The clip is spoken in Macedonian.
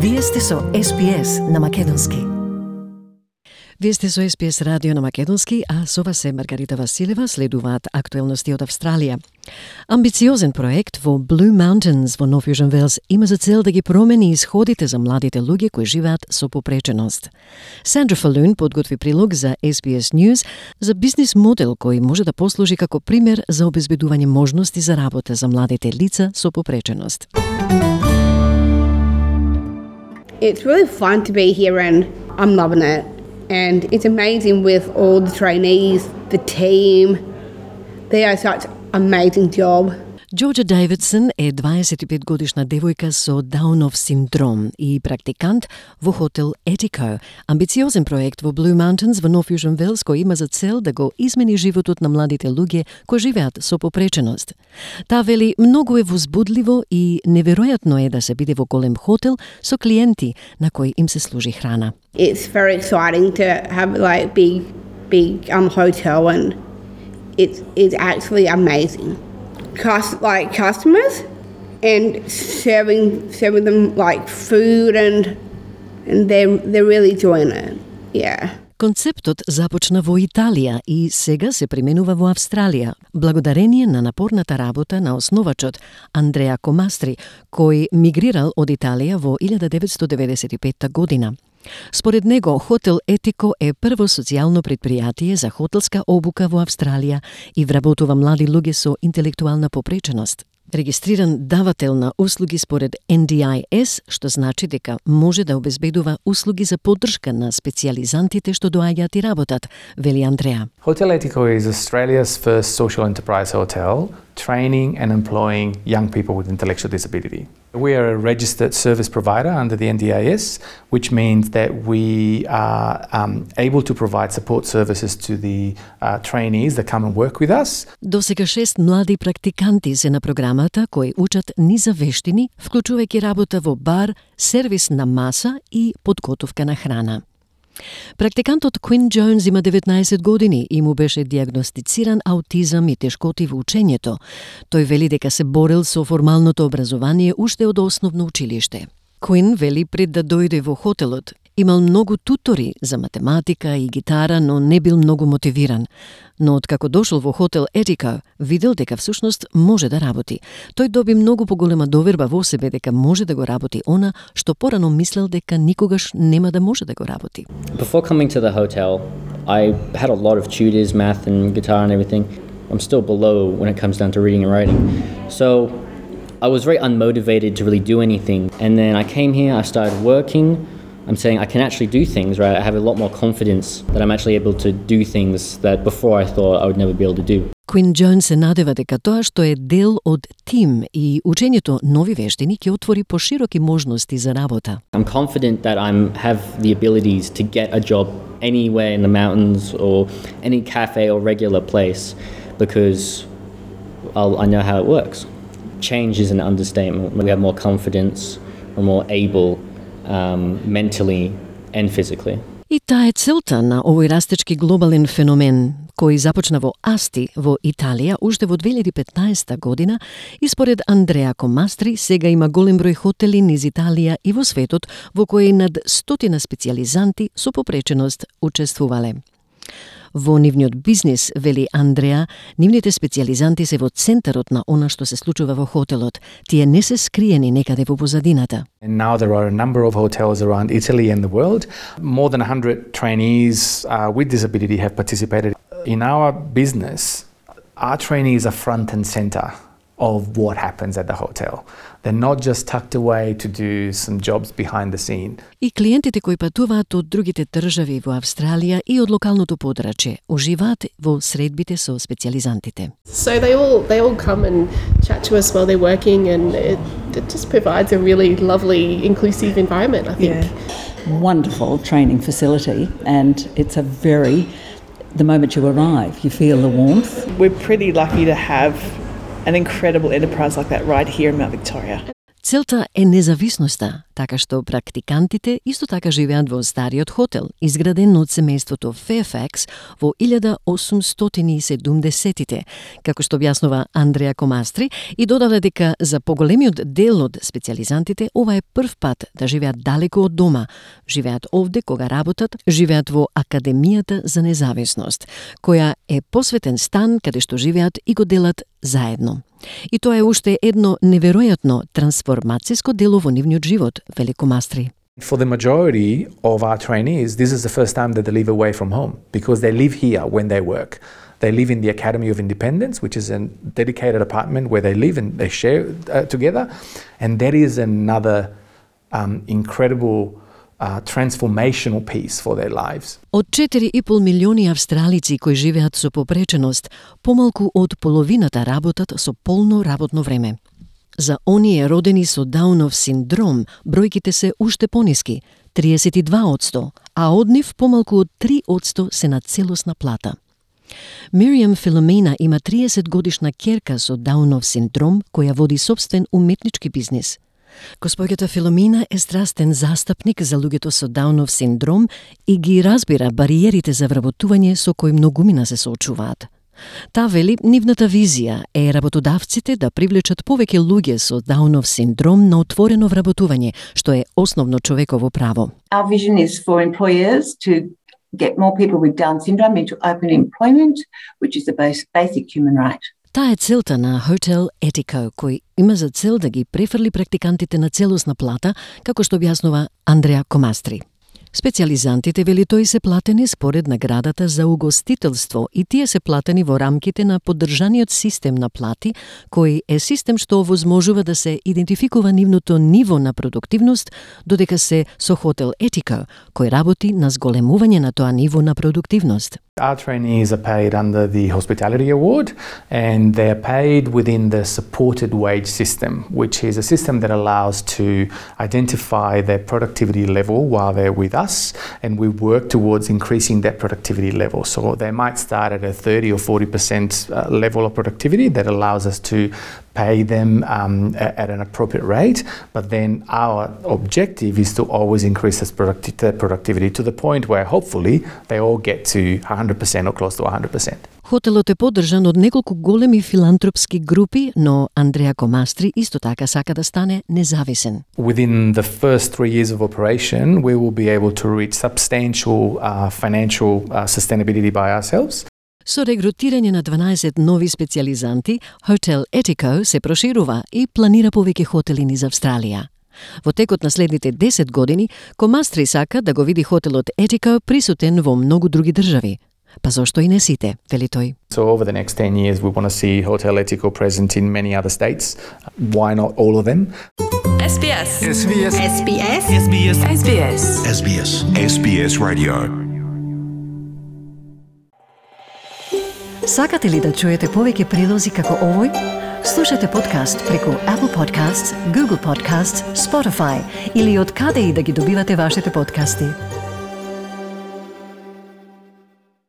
Вие сте со SPS на Македонски. Вие сте со SPS радио на Македонски, а со вас е Маргарита Василева. Следуваат актуелности од Австралија. Амбициозен проект во Blue Mountains во Нов Јужен Велс има за цел да ги промени исходите за младите луѓе кои живеат со попреченост. Сандра Фалун подготви прилог за SPS News за бизнис модел кој може да послужи како пример за обезбедување можности за работа за младите лица со попреченост. It's really fun to be here and I'm loving it. And it's amazing with all the trainees, the team. They are such an amazing job. Джорджа Дейвидсон е 25-годишна девојка со Даунов синдром и практикант во хотел Etico, амбициозен проект во Blue Mountains во Нов Јужен Велс кој има за цел да го измени животот на младите луѓе кои живеат со попреченост. Таа вели многу е возбудливо и неверојатно е да се биде во голем хотел со клиенти на кои им се служи храна. It's very exciting to have like big hotel and it's actually amazing. Customers and serving them like food and they're really enjoying it. Yeah. Концептот започна во Италија и сега се применува во Австралија, благодарение на напорната работа на основачот Андреа Комастри, кој мигрирал од Италија во 1995 година. Според него, хотел Etico е прво социјално предпријатие за хотелска обука во Австралија и вработува млади луѓе со интелектуална попреченост. Регистриран давател на услуги според NDIS, што значи дека може да обезбедува услуги за поддршка на специјализантите што доаѓаат и работат, вели Андреа. Hotel Etico is Australia's first social enterprise hotel, training and employing young people with intellectual disability. We are a registered service provider under the NDIS, which means that we are able to provide support services to the trainees that come and work with us. Досега 6 млади практиканти се на програмата кои учат низа вештини, вклучувајќи работа во бар, сервис на маса и подготовка на храна. Практикантот Квин Джонс има 19 години и му беше диагностициран аутизам и тешкоти во учењето. Тој вели дека се борел со формалното образование уште од основно училиште. Квин вели пред да дојде во хотелот, имал многу тутори за математика и гитара, но не бил многу мотивиран. Но откако дошол во хотел Etico, видел дека всушност може да работи. Тој доби многу поголема доверба во себе дека може да го работи она што порано мислел дека никогаш нема да може да го работи. Before coming to the hotel, I had a lot of tutors, math and guitar and everything. I'm still below when it comes down to reading and writing. So I was very unmotivated to really do anything. And then I came here, I started working. I'm saying I can actually do things, right? I have a lot more confidence that I'm actually able to do things that before I thought I would never be able to do. Квин Джонс се надева дека тоа што е дел од тим и учењето нови вештини ќе отвори пошироки можности за работа. I'm confident that I have the abilities to get a job anywhere in the mountains or any cafe or regular place because I know how it works. Change is an understatement. We have more confidence, we're more able mentally and physically. И таа е целта на овој растечки глобален феномен, кој започна во Асти во Италија уште во 2015 година и според Андреа Комастри сега има голем број хотели низ Италија и во светот во кои над 100 специјализанти со попреченост учествувале. Во нивниот бизнис, вели Андреа, нивните специјализанти се во центарот на она што се случува во хотелот. Тие не се скриени некаде во позадината. And now there are a number of hotels around Italy and the world. More than 100 trainees with disability have participated. In our business, our trainees are front and center of what happens at the hotel. They're not just tucked away to do some jobs behind the scene. И клиентите кои патуваат од другите држави во Австралија и од локалното подрачје уживаат во средбите со специјализантите. So they all come and chat to us while they're working and it just provides a really lovely inclusive environment, I think. Yeah. Wonderful training facility and it's the moment you arrive, you feel the warmth. We're pretty lucky to have an incredible enterprise like that right here in Mount Victoria. Целта е независноста, така што практикантите исто така живеат во стариот хотел, изграден од семејството Fairfax во 1870-тите, како што објаснува Андреа Комастри, и додава дека за поголемиот дел од специјализантите ова е прв пат да живеат далеку од дома. Живеат овде кога работат, живеат во Академијата за независност, која е посветен стан каде што живеат и го делат заедно. И тоа е уште едно неверојатно трансформацијско дело во нивниот живот, вели Комастри. For the majority of our trainees, this is the first time that they live away from home because they live here when they work. They live in the Academy of Independence, which is a dedicated apartment where they live and they share together. And that is another incredible transformational piece for their lives. Од 4,5 милиони австралици кои живеат со попреченост, помалку од половината работат со полно работно време. За оние родени со Даунов синдром, бројките се уште пониски, 32%, а од нив помалку од 3% се на целосна плата. Мириам Филомена има 30 годишна ќерка со Даунов синдром која води сопствен уметнички бизнис. Госпоѓата Филомена е страстен застапник за луѓето со Даунов синдром и ги разбира бариерите за вработување со кои многумина се соочуваат. Та вели, нивната визија е работодавците да привлечат повеќе луѓе со Даунов синдром на отворено вработување, што е основно човеково право. Our vision is for employers to get more people with Down syndrome into open employment, which is a basic human right. Таа е целта на Hotel Etico, кој има за цел да ги префрли практикантите на целосна плата, како што објаснува Андреа Комастри. Специјализантите, вели тој, се платени според наградата за угостителство и тие се платени во рамките на поддржаниот систем на плати, кој е систем што овозможува да се идентификува нивното ниво на продуктивност, додека се со Hotel Etico, кој работи на зголемување на тоа ниво на продуктивност. Our trainees are paid under the Hospitality Award and they're paid within the supported wage system, which is a system that allows to identify their productivity level while they're with us, and we work towards increasing that productivity level. So they might start at a 30 or 40% level of productivity that allows us to pay them at an appropriate rate, but then our objective is to always increase that productivity to the point where hopefully they all get to 100% or close to 100%. Хотелот е поддржан од неколку големи филантропски групи, но Андреа Комастри исто така сака да стане независен. Within the first 3 years of operation, we will be able to reach substantial financial sustainability by ourselves. Со регрутирање на 12 нови специјализанти, Hotel Etico се проширува и планира повеќе хотели низ Австралија. Во текот на следните 10 години, Комастри сака да го види хотелот Etico присутен во многу други држави. Па зошто и не сите, вели тој. So over the next 10 years we want to see Hotel Etico present in many other states. Why not all of them? SBS. SBS. SBS. SBS. SBS. SBS. SBS Radio. Сакате ли да чуете повеќе прилози како овој? Слушате подкаст преку Apple Podcasts, Google Podcasts, Spotify или од каде и да ги добивате вашите подкасти.